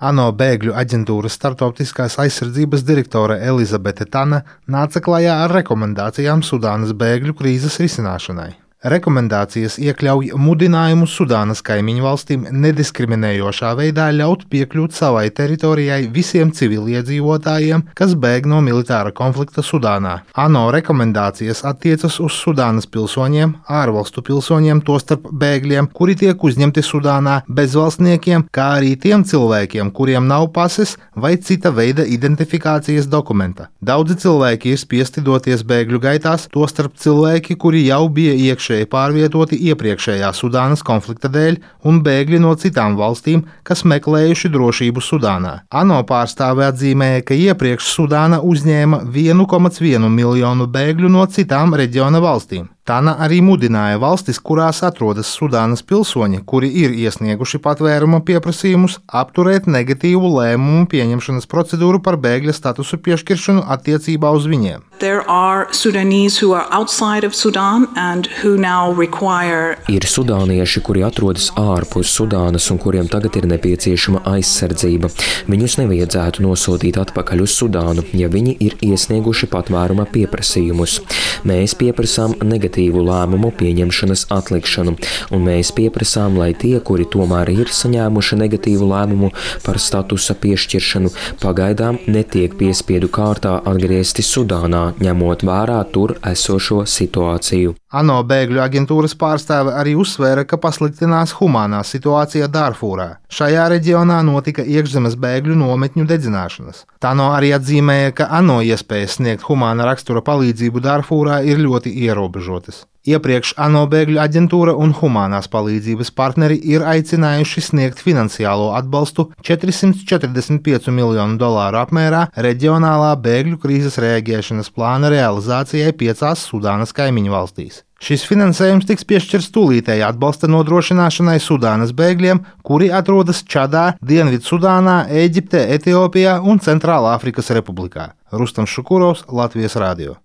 ANO bēgļu aģentūras starptautiskās aizsardzības direktore Elizabete Tana nāca klajā ar rekomendācijām Sudānas bēgļu krīzes risināšanai. Rekomendācijas iekļauj mudinājumu Sudānas kaimiņu valstīm nediskriminējošā veidā ļaut piekļūt savai teritorijai visiem civiliedzīvotājiem, kas bēg no militāra konflikta Sudānā. ANO rekomendācijas attiecas uz Sudānas pilsoņiem, ārvalstu pilsoņiem, tostarp bēgļiem, kuri tiek uzņemti Sudānā, bezvalstniekiem, kā arī tiem cilvēkiem, kuriem nav pases vai cita veida identifikācijas dokumenta. Daudzi cilvēki ir spiesti doties bēgļu gaitās, tostarp cilvēki, kuri jau bija iekšēji pārvietoti iepriekšējā Sudānas konflikta dēļ un bēgļi no citām valstīm, kas meklējuši drošību Sudānā. ANO pārstāve atzīmēja, ka iepriekš Sudāna uzņēma 1,1 miljonu bēgļu no citām reģiona valstīm. Tana arī mudināja valstis, kurās atrodas Sudānas pilsoņi, kuri ir iesnieguši patvēruma pieprasījumus, apturēt negatīvu lēmumu pieņemšanas procedūru par bēgļa statusu piešķiršanu attiecībā uz viņiem. Ir sudānieši, kuri atrodas ārpus Sudānas un kuriem tagad ir nepieciešama aizsardzība. Viņus nevajadzētu nosūtīt atpakaļ uz Sudānu, ja viņi ir iesnieguši patvēruma pieprasījumus. Mēs pieprasām negatīvu lēmumu pieņemšanas atlikšanu, un mēs pieprasām, lai tie, kuri tomēr ir saņēmuši negatīvu lēmumu par statusa piešķiršanu, pagaidām netiek piespiedu kārtā atgriezti Sudānā, ņemot vērā tur esošo situāciju. ANO bēgļu aģentūras pārstāve arī uzsvēra, ka pasliktinās humānā situācija Dārfūrā. Šajā reģionā notika iekšzemes bēgļu nometņu dedzināšanas. Tano arī atzīmēja, ka ANO iespējas sniegt humāna rakstura palīdzību Dārfūrā ir ļoti ierobežotas. Iepriekš ANO bēgļu aģentūra un humānās palīdzības partneri ir aicinājuši sniegt finansiālo atbalstu $445 miljonu apmērā reģionālā bēgļu krīzes reaģēšanas plāna realizācijai 5 Sudānas kaimiņu valstīs. Šis finansējums tiks piešķirts tūlītēji atbalsta nodrošināšanai Sudānas bēgļiem, kuri atrodas Čadā, Dienvidsudānā, Ēģiptē, Etiopijā un Centrālāfrikas Republikā. Rustam Šukurovs, Latvijas radio.